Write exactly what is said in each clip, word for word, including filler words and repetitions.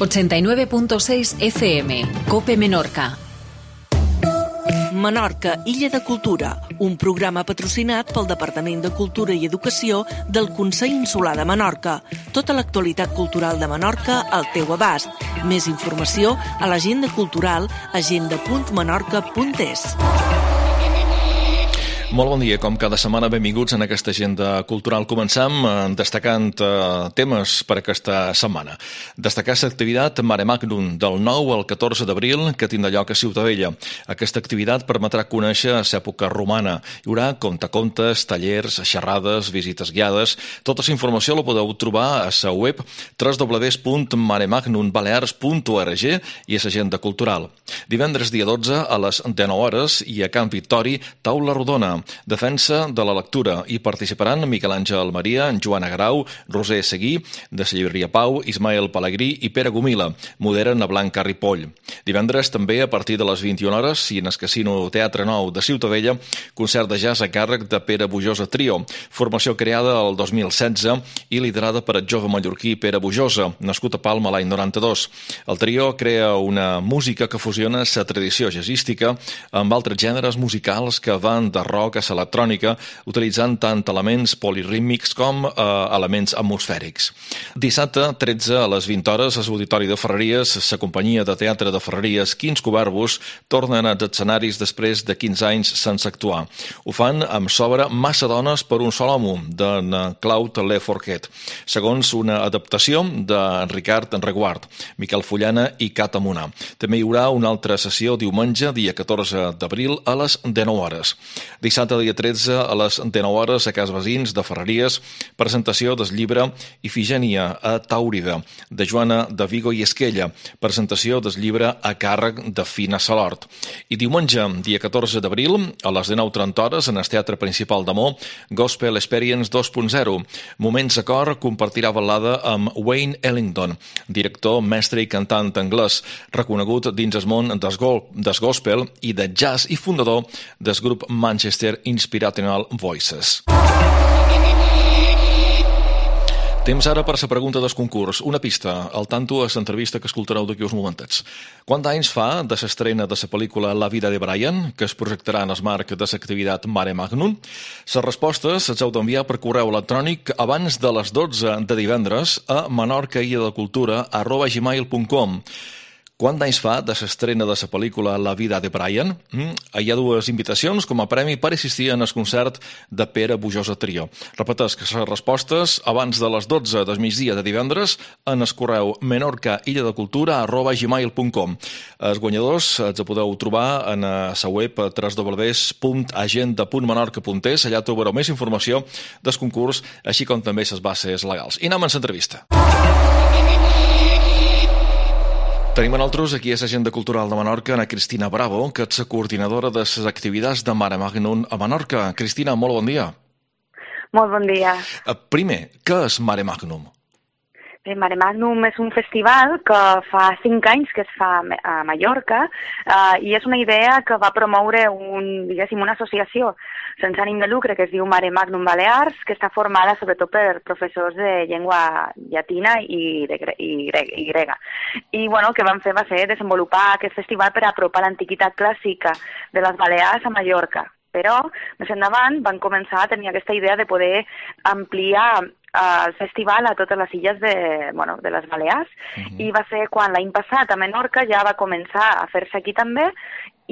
ochenta y nueve punto seis F M, COPE Menorca. Menorca, Illa de Cultura, un programa patrocinat pel Departament de Cultura i Educació del Consell Insular de Menorca. Tota l'actualitat cultural de Menorca al teu abast. Més informació a l'agenda cultural agenda punt menorca punt es. Molt bon dia, com cada setmana, benvinguts en aquesta agenda cultural. Començam destacant eh, temes per aquesta setmana. Destacar l'activitat Mare Magnum del nou al catorze d'abril que tindrà lloc a Ciutadella. Aquesta activitat permetrà conèixer l'època romana. Hi haurà contacontes, tallers, xerrades, visites guiades. Tota la informació la podeu trobar a la web w w w punt mare magnum balears punt org i a l'agenda cultural. Divendres dia dotze a les dinou hores i a Camp Victori, taula rodona. Defensa de la lectura. Hi participaran Miquel Àngel Maria, Joana Grau, Roser Seguí, de la llibreria Pau, Ismael Pellegrí i Pere Gomila. Moderen a Blanca Ripoll. Divendres també a partir de les vint i una hores i en el Casino Teatre Nou de Ciutadella, concert de jazz a càrrec de Pere Bujosa Trio. Formació creada el dos mil setze i liderada per el jove mallorquí Pere Bujosa, nascut a Palma l'any noranta-dos. El trio crea una música que fusiona la tradició jazzística amb altres gèneres musicals que van de rock a l'electrònica, utilitzant tant elements polirítmics com eh, elements atmosfèrics. Dissabte, tretze a les vint hores, a l'Auditori de Ferreries, la companyia de teatre de Ferreries Quins Cubarbus tornen als escenaris després de quinze anys sense actuar. Ho fan amb s'obra Massa dones per un sol home, de Claude Le Forquet, segons una adaptació de Ricard Reguard, Miquel Fullana i Cata Munà. També hi haurà una altra sessió diumenge, dia catorze d'abril, a les dinou hores. Dissabte, dia tretze, a les dinou hores, a Cas Basins de Ferreries, presentació del llibre Ifigènia a Tàurida, de Joana de Vigo i Esquella, presentació del llibre a càrrec de Fina Salort. I diumenge, dia catorze d'abril, a les dinou trenta hores, en el Teatre Principal d'Amó, Gospel Experience dos punt zero. Moments de cor compartirà balada amb Wayne Ellington, director, mestre i cantant anglès, reconegut dins el món del gospel i de jazz i fundador del grup Manchester Inspirational Voices. Temps ara per la pregunta del concurs. Una pista, al tanto a l'entrevista que escoltareu d'aquí uns momentets. Quants anys fa de l'estrena de la pel·lícula La vida de Brian, que es projectarà en el marc de l'activitat Mare Magnum? Les respostes les heu d'enviar per correu electrònic abans de les dotze de divendres a menorcailladecultura arroba gmail punt com. Quant d'anys fa de l'estrena de la pel·lícula La vida de Brian? Mm, hi ha dues invitacions com a premi per assistir en el concert de Pere Bujosa Trio. Repeteix que les respostes abans de les dotze del migdia de divendres en el correu menorcailladecultura arroba gmail punt com. Els guanyadors els podeu trobar en la web w w w punt agenda punt menorca punt es. Allà trobareu més informació del concurs, així com també les bases legals. I anem a l'entrevista. Tenim a nosaltres aquí a l'Agenda Cultural de Menorca a Cristina Bravo, que és la coordinadora de les activitats de Mare Magnum a Menorca. Cristina, molt bon dia. Molt bon dia. Primer, què és Mare Magnum? Bé, Mare Magnum és un festival que fa cinc anys que es fa a Mallorca eh, i és una idea que va promoure un, diguéssim, una associació sense ànim de lucre que es diu Mare Magnum Balears, que està formada sobretot per professors de llengua llatina i, de, i, i grega. I bueno, el que van fer va ser desenvolupar aquest festival per apropar l'antiguitat clàssica de les Balears a Mallorca. Però, més endavant, van començar a tenir aquesta idea de poder ampliar el festival a totes les illes de, bueno, de les Balears, uh-huh. I va ser quan l'any passat a Menorca ja va començar a fer-se aquí també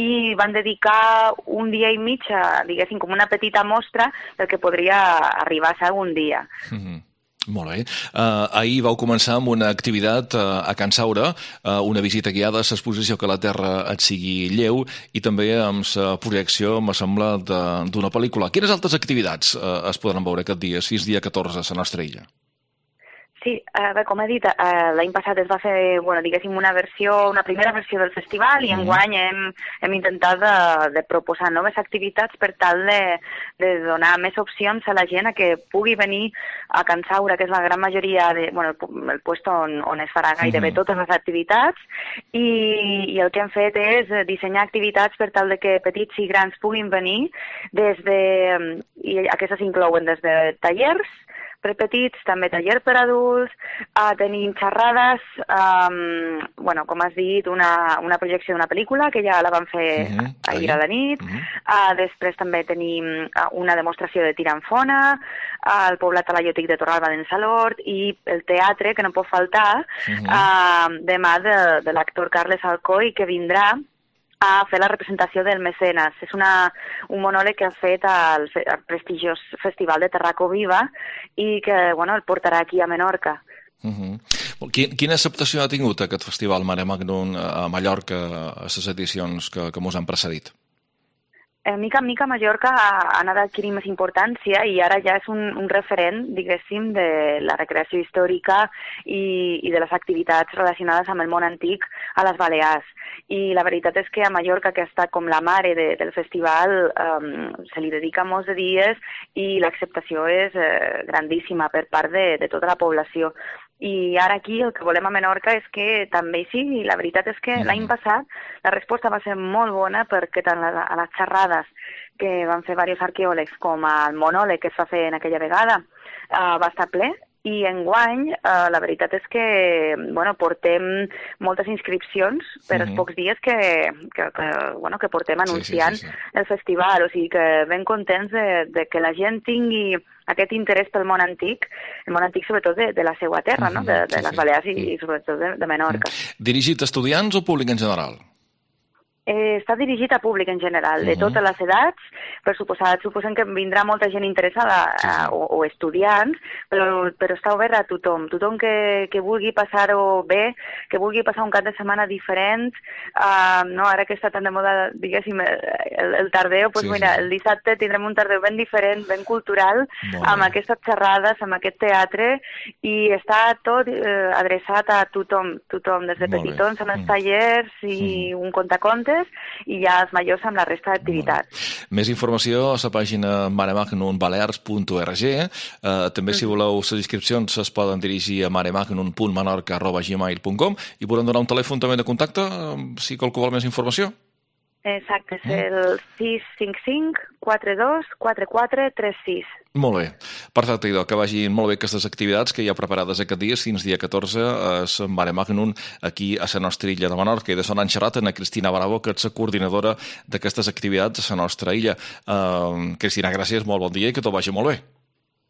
i van dedicar un dia i mig a, diguéssim, com una petita mostra del que podria arribar a ser un dia. Uh-huh. Molt bé. Uh, ahir vau començar amb una activitat uh, a Can Saura, uh, una visita guiada a l'exposició Que la Terra et sigui lleu i també amb la projecció, me sembla, d'una pel·lícula. Quines altres activitats uh, es podran veure aquest dia, fins dia catorze, a la nostra illa? Sí, eh, bé, com he dit, eh, l'any passat es va fer, bueno, diguéssim, una versió, una primera versió del festival i mm. enguany hem, hem intentat de, de proposar noves activitats per tal de, de donar més opcions a la gent a que pugui venir a Can Saura, que és la gran majoria, de, bueno, el, el puesto on, on es farà gairebé mm. totes les activitats i, i el que hem fet és dissenyar activitats per tal de que petits i grans puguin venir des de, i aquestes inclouen des de tallers, per petits, també taller per adults, uh, tenim xerrades, um, bueno, com has dit, una, una projecció d'una pel·lícula, que ja la vam fer uh-huh. ahir a la nit, uh-huh. uh, després també tenim uh, una demostració de tir amb fona, uh, el poblat talaiòtic de Torralba d'en Salord, i el teatre, que no pot faltar, uh-huh. uh, demà de, de l'actor Carles Alcoy, que vindrà a fer la representació del Mecenes. És una, un monòleg que ha fet al, al prestigiós Festival de Terraco Viva i que bueno, el portarà aquí a Menorca. Uh-huh. Quina acceptació ha tingut aquest festival Mare Magnum a Mallorca a les edicions que, que mos han precedit? Eh, mica en mica Mallorca ha, ha anat adquirint més importància i ara ja és un, un referent, diguéssim, de la recreació històrica i, i de les activitats relacionades amb el món antic a les Balears. I la veritat és que a Mallorca, que ha estat com la mare de, del festival, um, se li dedica molts de dies i l'acceptació és eh, grandíssima per part de, de tota la població. I ara aquí el que volem a Menorca és que també hi sigui. La veritat és que l'any passat la resposta va ser molt bona perquè tant a les xerrades que van fer diversos arqueòlegs com al monòleg que es va fer en aquella vegada uh, va estar ple. I enguany, eh, la veritat és que bueno, portem moltes inscripcions per uh-huh. els pocs dies que, que, que, bueno, que portem anunciant sí, sí, sí, sí. el festival. O sigui que ben contents de, de que la gent tingui aquest interès pel món antic, el món antic sobretot de, de la seva terra, uh-huh. no? de, de sí, les Balears sí. i, i sobretot de, de Menorca. Uh-huh. Dirigit a estudiants o públic en general? Eh, està dirigit a públic en general, de uh-huh. totes les edats, per suposat, suposem que vindrà molta gent interessada uh, o, o estudiants, però, però està obert a tothom, tothom que, que vulgui passar-ho bé, que vulgui passar un cap de setmana diferent, uh, no, ara que està tan de moda, diguéssim, el, el tardeu, doncs sí, mira, sí. el dissabte tindrem un tardeu ben diferent, ben cultural, bon. amb aquestes xerrades, amb aquest teatre, i està tot eh, adreçat a tothom, tothom, des de bon petitons amb els mm. tallers i mm. un contacontes, i ja els majors amb la resta d'activitats. Més informació a la pàgina mare magnum balears punt org. Eh, també, si voleu, les inscripcions es poden dirigir a maremagnum punt menorca arroba gmail punt com i podem donar un telèfon també de contacte si qualcú vol més informació. Exacte, és el sis cinc cinc quatre dos quatre quatre tres sis. Molt bé. Perfecte, idò, que vagin molt bé aquestes activitats que hi ha preparades aquest dia, fins dia catorze, a Mare Magnum, aquí a la nostra illa de Menorca. I de sonar en xerrat a Cristina Bravo, que és la coordinadora d'aquestes activitats a la nostra illa. Uh, Cristina, gràcies, molt bon dia i que tot vagi molt bé.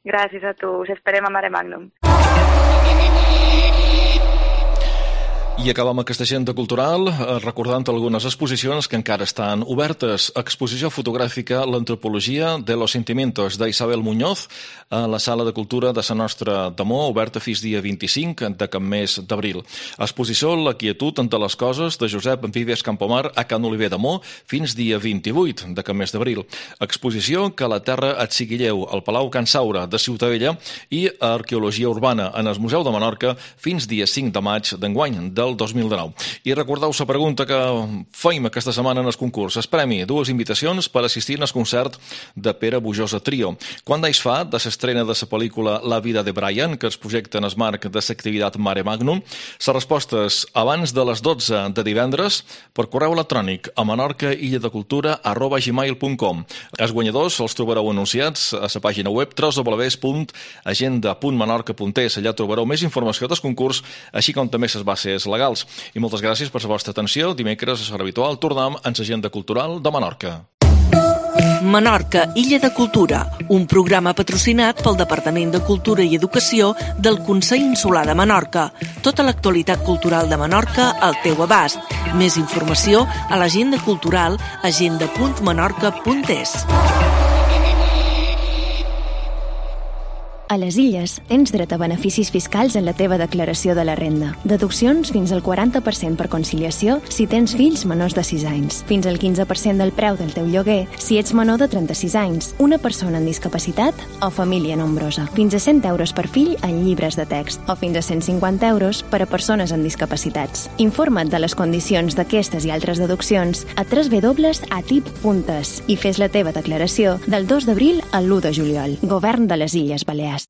Gràcies a tu, us esperem a Mare Magnum. I acabem aquesta agenda cultural recordant algunes exposicions que encara estan obertes. Exposició fotogràfica L'antropologia de los sentimientos d'Isabel Muñoz a la Sala de Cultura de la nostra Damó, oberta fins dia vint-i-cinc d'aquest mes d'abril. Exposició La quietud entre les coses de Josep Vives Campomar a Can Oliver Damó fins dia vint-i-vuit d'aquest mes d'abril. Exposició Que la terra et sigui lleu al Palau Can Saura de Ciutadella i Arqueologia urbana en el Museu de Menorca fins dia cinc de maig d'enguany del dos mil dinou. I recordeu la pregunta que feim aquesta setmana en el concurs. Es premi dues invitacions per assistir al concert de Pere Bujosa Trio. Quant d'anys fa de l'estrena de la pel·lícula La vida de Brian, que es projecta en el marc de l'activitat Mare Magnum? Les respostes abans de les dotze de divendres per correu electrònic a menorcailledecultura arroba gmail punt com. Els guanyadors els trobareu anunciats a la pàgina web w w w punt agenda punt menorca punt es. Allà trobareu més informació del concurs, així com també les bases legals. I moltes gràcies per la vostra atenció. Dimecres, a l'hora habitual, tornem en l'agenda cultural de Menorca. Menorca, Illa de Cultura, un programa patrocinat pel Departament de Cultura i Educació del Consell Insular de Menorca. Tota l'actualitat cultural de Menorca al teu abast. Més informació a l'agenda cultural agenda punt menorca punt es. A les Illes tens dret a beneficis fiscals en la teva declaració de la renda. Deduccions fins al quaranta per cent per conciliació si tens fills menors de sis anys. Fins al quinze per cent del preu del teu lloguer si ets menor de trenta-sis anys, una persona amb discapacitat o família nombrosa. Fins a cent euros per fill en llibres de text o fins a cent cinquanta euros per a persones amb discapacitats. Informa't de les condicions d'aquestes i altres deduccions a w w w punt a t i p punt es i fes la teva declaració del dos d'abril al l'u de juliol. Govern de les Illes Balears.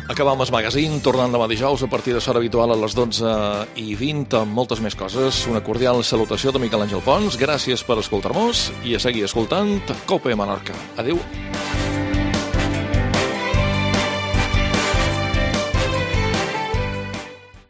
Acabam el magazín, tornant demà dijous a partir de l'hora habitual a les dotze i vint amb moltes més coses. Una cordial salutació de Miquel Àngel Pons. Gràcies per escoltar-nos i a seguir escoltant Cope Menorca. Adéu.